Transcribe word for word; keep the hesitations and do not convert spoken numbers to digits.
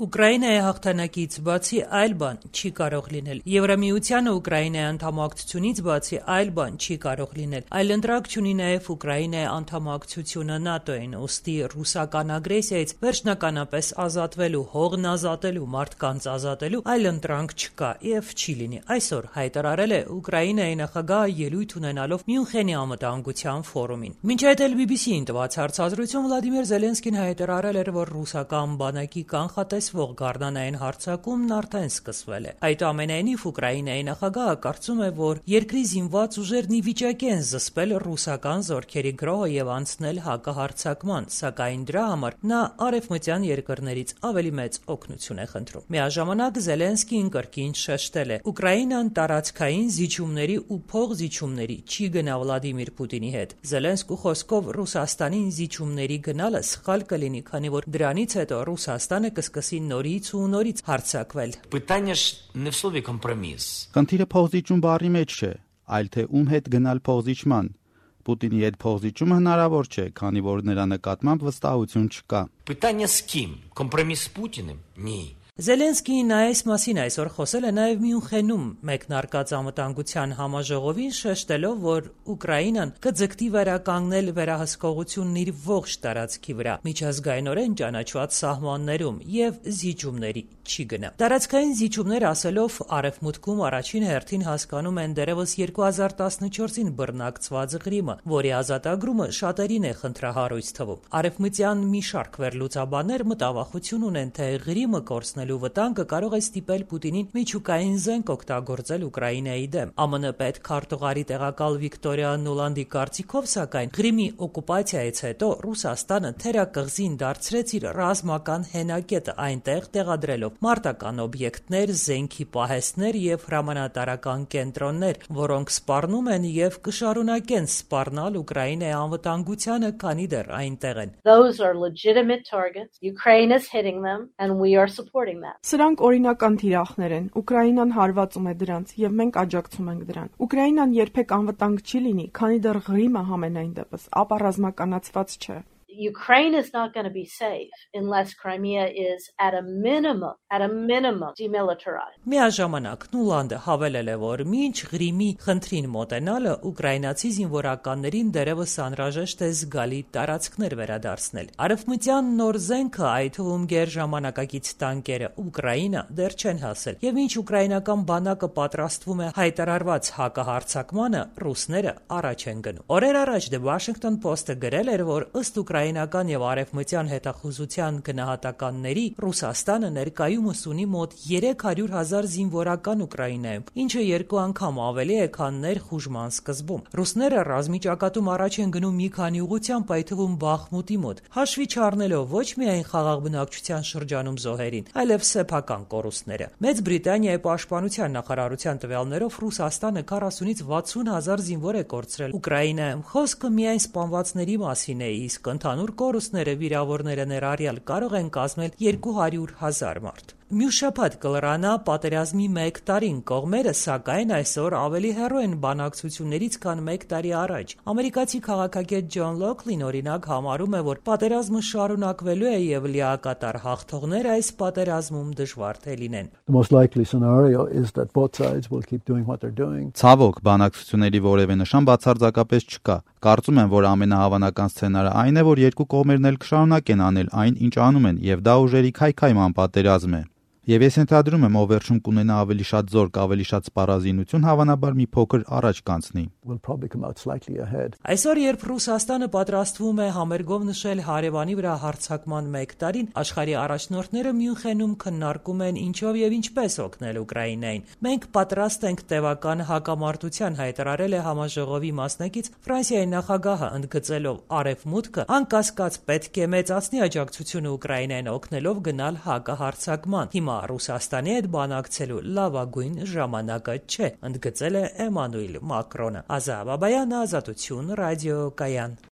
Ուկրաինայի հաղթանակից բացի այլ բան չի կարող լինել։ Եվրամիությանը Ուկրաինայի անդամակցությունից բացի այլ բան չի կարող լինել։ Այլընտրանք չունի նաև Ուկրաինայի անդամակցությունը ՆԱՏՕ-ին, ուստի ռուսական ագրեսիայից վերջնականապես ազատվելու, հողն ազատելու, մարդկանց ազատելու այլընտրանք չկա եւ չի լինի։ Այսօր հայտարարել է Ուկրաինայի նախագահը ելույթ ունենալով Մյունխենի անվտանգության ֆորումին։ Մինչ այդ էլ բի բի սի-ին տված հարցազրույցում Վլադիմիր Զելենսկին հայտարարել էր, որ ռուսական բանակի կանխատեսվող գարնանային հարձակումն արդեն սկսվել է։ Այդուամենայնիվ Ուկրաինայի նախագահը կարծում է, որ երկրի զինված ուժերն ի վիճակի են զսպել ռուսական զորքերի գրոհը եւ անցնել հակահարձակման, սակայն դրա համար նա արևմտյան երկրներից ավելի մեծ օգնություն է խնդրում։ Միաժամանակ Զելենսկին կրկին շեշտել է. Ուկրաինան տարածքային զիջումների ու փողզիջումների չի գնա Վլադիմիր Պուտինի հետ։ Զելենսկու խոսքով Ռուսաստանին զիջումների գնալը սխալ կլինի, քանի որ դրանից հետո Ռուսաստանը կսկսի նորից ու նորից հարձակվել։ Խնդիրը փողզիջում բառի մեջ չէ, այլ թե ում հետ գնալ փողզիջման։ Պուտինի հետ փողզիջումը հնարավոր չէ, քանի որ նրա նկատմամբ վստահություն չկա։ Զելենսկին այս մասին այսօր խոսել է նաև Մյունխենում մեկնարկած անվտանգության համաժողովին, շեշտելով, որ Ուկրաինան կձգտի վերականգնել վերահսկողությունն իր ողջ տարածքի վրա, միջազգայինորեն ճանաչված սահմաններում եւ զիջումների չի գնա։ Տարածքային զիջումներ ասելով Արևմուտքում առաջին հերթին հասկանում են դեռևս երկու հազար տասնչորսին բռնակցված Ղրիմը, որի ազատագրումը շատերին է խնդրահարույց թվում։ Արևմտյան մի շարք վերլուծաբաններ մտավախություն ունեն, թե Ղրիմը կորցնելու վտանգը կարող է ստիպել Պուտինին միջուկային զենք օգտագործել Ուկրաինայի դեմ։ Ամն պետքարտուղարի տեղակալ Վիկտորիա Նուլանդի կարծիքով, սակայն Ղրիմի օկուպացիայից հետո Ռուսաստանը թերակղզին դարձրեց իր ռազմական հենակետը, այնտեղ տեղադրելով մարտական օբյեկտներ, զենքի պահեստներ եւ հրամանատարական կենտրոններ, որոնք սպառնում են եւ կշարունակեն սպառնալ Ուկրաինայի անվտանգությանը, քանի դեռ այնտեղ են։ Սրանք օրինական թիրախներ են։ Ուկրաինան հարվածում է դրանց եւ մենք աջակցում ենք դրան։ Ուկրաինան երբեք անվտանգ չի լինի, քանի դեռ Ղրիմը համենայն դեպս ապա ռազմականացված չէ։ Ukraine is not going to be safe unless Crimea is at a minimum, at a minimum demilitarized. Միաժամանակ Նուլանդը հավելել է, որ մինչ Ղրիմի խնդրին մոտենալը ուկրաինացի զինվորականներին դեռևս անհրաժեշտ է զգալի տարածքներ վերադարձնել։ Արևմտյան նոր զենքը, այդ թվում գերժամանակակից տանկերը, Ուկրաինա դեռ չեն հասել։ Եվ մինչ ուկրաինական բանակը պատրաստվում է հայտարարված հակահարձակմանը, ռուսները առաջ են գնում։ Օրեր առաջ The Washington Post-ը գրել էր, որ ըստ ուկրաինական եւ արևմտյան հետախուզության գնահատականների Ռուսաստանը ներկայումս ունի մոտ երեք հարյուր հազար զինվորական Ուկրաինայում, ինչը երկու անգամ ավելի է, քան ներխուժման սկզբում։ Ռուսները ռազմի ճակատում առաջ են գնում մի քանի ուղղությամբ, այդ թվում Բախմուտի մոտ, հաշվի չառնելով ոչ միայն խաղաղ բնակչության շրջանում զոհերին, այլև սեփական կորուստները։ Մեծ Բրիտանիայի պաշտպանության նախարարության տվյալներով Ռուսաստանը քառասունից վաթսուն հազար զինվոր է կորցրել Ուկրաինայում։ Խոսքը միայն սպանվածների մասին է, իսկ ընդհանուր կորուստները վիրավորները ներառյալ կարող են կազմել երկու հարյուր հազար մարդ։ Մյուս շաբաթ կլրանա պատերազմի մեկ տարին, կողմերը սակայն այսօր ավելի հեռու են բանակցություններից, քան մեկ տարի առաջ։ Ամերիկացի քաղաքագետ Ջոն Լոքլին օրինակ համարում է, որ պատերազմը շարունակվելու է եւ լիակատար հաղթողները այս պատերազմում դժվար թե լինեն։ Ցավոք, բանակցությունների որևէ նշան բացարձակապես չկա։ Կարծում եմ, որ ամենահավանական սցենարը այն է, որ երկու կողմերն էլ կշարունակեն անել այն, ինչ անում են, եւ դա ուժերի քայքայման պատերազմ է։ Եվ ես ենթադրում եմ, ով վերջում կունենա ավելի շատ զորք, ավելի շատ սպառազինություն, հավանաբար մի փոքր առաջ կանցնի։ Այսօր, երբ Ռուսաստանը պատրաստվում է համերգով նշել հարևանի վրա հարձակման մեկ տարին, աշխարհի առաջնորդները Մյունխենում քննարկում են ինչով եւ ինչպես օգնել Ուկրաինային։ Մենք պատրաստ ենք տևական հակամարտության, հայտարարել է համաժողովի մասնակից Ֆրանսիայի նախագահը, ընդգծելով Արևմուտքը անկասկած պետք է մեծացնի աջակցությունը Ուկրաինային օգնելով գնալ հակահարձակման։ Հիմա Ռուսաստանի հետ բանակցելու լավագույն ժամանակը չէ, ընդգծել է Էմանուել Մակրոնը։ Ազա Բաբայան, Ազատություն, ռադիո Կայան։